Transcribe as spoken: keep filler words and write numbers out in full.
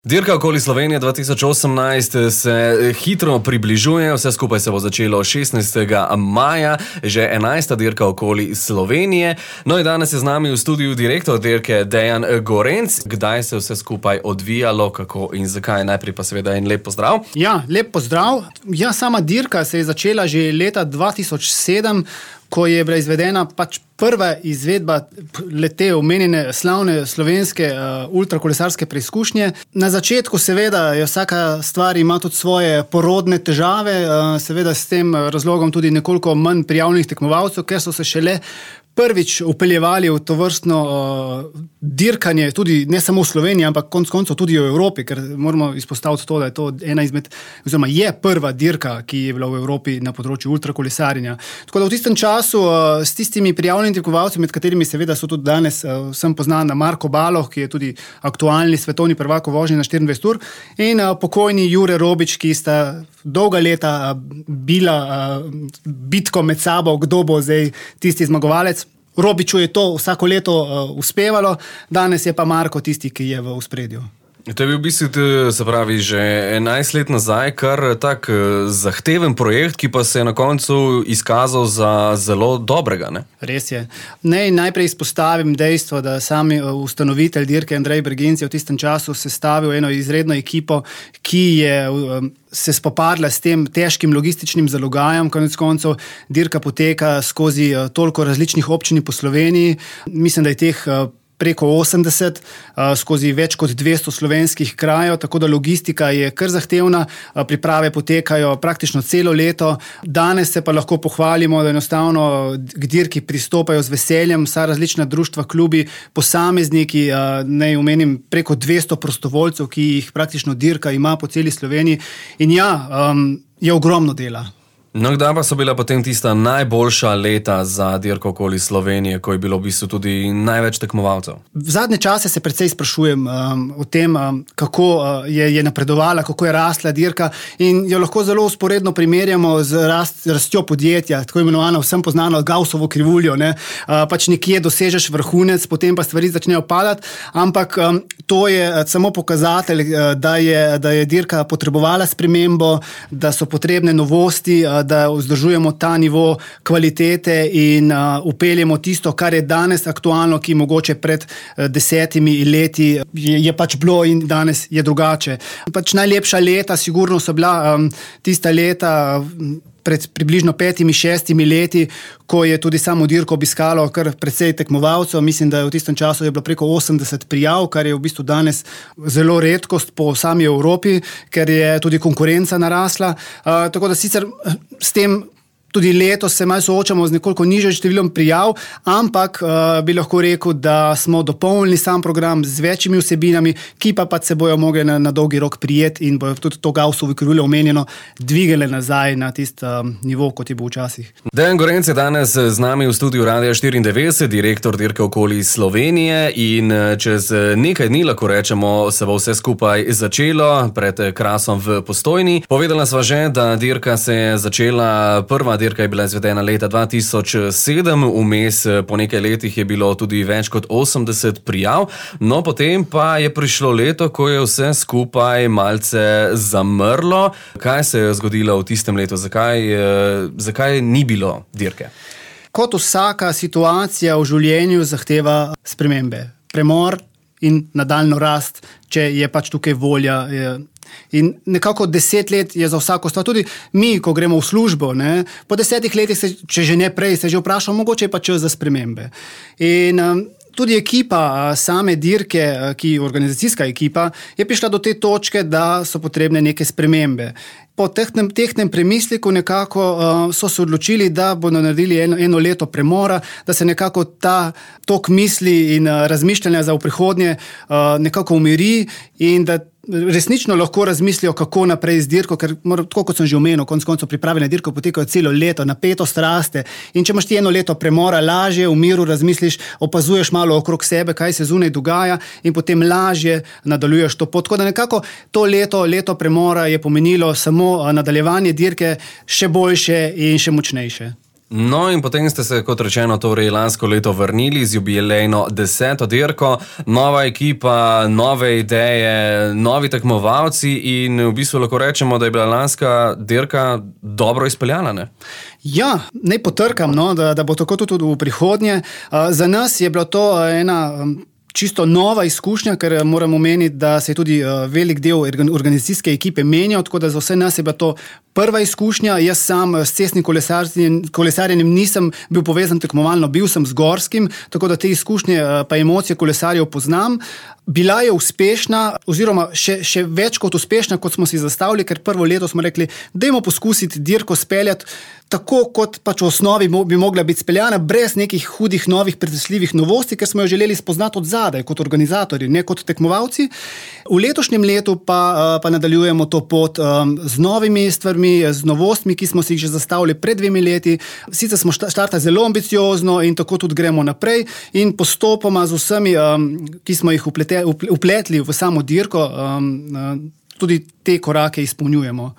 Dirka okoli Slovenije dva tisoč osemnajst se hitro približuje, vse skupaj se bo začelo šestnajstega maja, že enajsta dirka okoli Slovenije. No in danes je z nami v studiu direktor dirke Dejan Gorenc. Kdaj se vse skupaj odvijalo, kako in zakaj? Najprej pa seveda en lep pozdrav. Ja, lep pozdrav. Ja, sama dirka se je začela že leta dva tisoč sedem, ko je bila izvedena pač prva izvedba lete omenjene slavne slovenske uh, ultrakolesarske preizkušnje. Na začetku seveda je vsaka stvar ima tudi svoje porodne težave, uh, seveda s tem razlogom tudi nekoliko manj prijavljenih tekmovalcev, ker so se šele prvič upeljevali v to vrstno uh, dirkanje, tudi ne samo v Sloveniji, ampak konec koncev tudi v Evropi, ker moramo izpostaviti to, da je to ena izmed, oziroma je prva dirka, ki je bila v Evropi na področju ultrakolesarjenja. Tako da v tistem času uh, s tistimi prijavljenimi tekmovalci, med katerimi seveda so tudi danes uh, vsem poznan Marko Baloh, ki je tudi aktualni svetovni prvak v vožnji na štiriindvajset ur, in uh, pokojni Jure Robič, ki sta dolga leta uh, bila uh, bitko med sabo, kdo bo zdaj tisti zmagovalec. Robiču je to vsako leto uh, uspevalo, danes je pa Marko tisti, ki je v ospredju. To je bil v bistvu, se pravi, že enajst let nazaj, kar tak zahteven projekt, ki pa se je na koncu izkazal za zelo dobrega, ne? Res je. Naj najprej izpostavim dejstvo, da sami ustanovitelj dirke Andrej Bergenc je v tistem času sestavil eno izredno ekipo, ki je um, se spopadla s tem težkim logističnim zalogajem. Konec koncev dirka poteka skozi uh, toliko različnih občin po Sloveniji. Mislim, da je teh uh, preko osemdeset, skozi več kot dvesto slovenskih krajev, tako da logistika je kar zahtevna, priprave potekajo praktično celo leto. Danes se pa lahko pohvalimo, da enostavno k dirki pristopajo z veseljem vsa različna društva, klubi, posamezniki, naj omenim preko dvesto prostovoljcev, ki jih praktično dirka ima po celi Sloveniji. In ja, je ogromno dela. No, kdaj pa so bila potem tista najboljša leta za dirko okoli Slovenije, ko je bilo v bistvu tudi največ tekmovalcev? V zadnje čase se precej sprašujem um, o tem, um, kako uh, je, je napredovala, kako je rasla dirka, in jo lahko zelo usporedno primerjamo z rast, rastjo podjetja, tako imenovano vsem poznano Gaussovo krivuljo, ne? Uh, pač nekje dosežeš vrhunec, potem pa stvari začnejo padati, ampak um, to je samo pokazatelj, uh, da, je, da je dirka potrebovala spremembo, da so potrebne novosti, uh, da vzdržujemo ta nivo kvalitete in uh, upeljemo tisto, kar je danes aktualno, ki mogoče pred uh, desetimi leti je, je pač bilo in danes je drugače. Pač najlepša leta sigurno so bila um, tista leta pred približno petimi, šestimi leti, ko je tudi samo dirko obiskalo kar precej tekmovalcev. Mislim, da je v tistem času je bilo preko osemdeset prijav, kar je v bistvu danes zelo redkost po sami Evropi, ker je tudi konkurenca narasla. Uh, tako da sicer s tem tudi letos se malo soočamo z nekoliko nižjim številom prijav, ampak uh, bi lahko rekel, da smo dopolnili sam program z večjimi vsebinami, ki pa pa se bojo mogli na, na dolgi rok prijeti in bojo tudi to Gaussovo krivuljo omenjeno dvigale nazaj na tisti um, nivo, kot je bil včasih. Dejan Gorenc je danes z nami v studiu Radia štiriindevetdeset, direktor dirke okoli Slovenije, in čez nekaj dni, lahko rečemo, se bo vse skupaj začelo pred Krasom v Postojni. Povedala sva že, da dirka se je začela, prva dirka je bila izvedena leta dva tisoč sedem, vmes po nekaj letih je bilo tudi več kot osemdeset prijav, no potem pa je prišlo leto, ko je vse skupaj malce zamrlo. Kaj se je zgodilo v tistem letu? Zakaj, zakaj ni bilo dirke? Kot vsaka situacija v življenju zahteva spremembe, premor in nadaljno rast, če je pač tukaj volja. Je In nekako deset let je za vsako stvar. Tudi mi, ko gremo v službo, ne, po desetih letih, se, če že ne prej, se že vprašamo, mogoče je pa čas za spremembe. In um, tudi ekipa same dirke, ki organizacijska ekipa, je prišla do te točke, da so potrebne neke spremembe. Po tehnem, tehnem premisliku nekako uh, so se odločili, da bodo naredili eno, eno leto premora, da se nekako ta tok misli in uh, razmišljanja za v prihodnje uh, nekako umiri in da resnično lahko razmislijo, kako naprej z dirko, ker mora, tako kot sem že omenil, konec koncev priprave na dirko potekajo celo leto, napetost raste, in če imaš ti eno leto premora, lažje v miru razmisliš, opazuješ malo okrog sebe, kaj se zunaj dogaja, in potem lažje nadaljuješ to pot. Tako da nekako to leto, leto premora je pomenilo samo nadaljevanje dirke še boljše in še močnejše. No in potem ste se, kot rečeno, torej lansko leto vrnili z jubilejno deseto dirko, nova ekipa, nove ideje, novi tekmovalci in v bistvu lahko rečemo, da je bila lanska dirka dobro izpeljana, ne? Ja, ne potrkam, no, da, da bo tako tudi v prihodnje. Uh, za nas je bila to ena um, čisto nova izkušnja, ker moramo omeniti, da se je tudi uh, velik del organizacijske ekipe menjal, tako da za vse nas je bila to prva izkušnja. Jaz sam s cestnim kolesarjenjem, kolesarjenjem nisem bil povezan tekmovalno, bil sem z gorskim, tako da te izkušnje uh, pa emocije kolesarjev poznam. Bila je uspešna, oziroma še, še več kot uspešna, kot smo si zastavili, ker prvo leto smo rekli, dajmo poskusiti dirko speljati tako, kot pač v osnovi bi mogla biti speljana, brez nekih hudih, novih, pretresljivih novosti, ker smo jo želeli spoznati od zadaj, kot organizatorji, ne kot tekmovalci. V letošnjem letu pa, pa nadaljujemo to pot um, z novimi stvarmi, z novostmi, ki smo si jih že zastavili pred dvemi leti. Sicer smo štartali zelo ambiciozno in tako tudi gremo naprej in postopoma z vsemi, um, ki smo jih uplete, upletli v samo dirko, um, tudi te korake izpolnjujemo.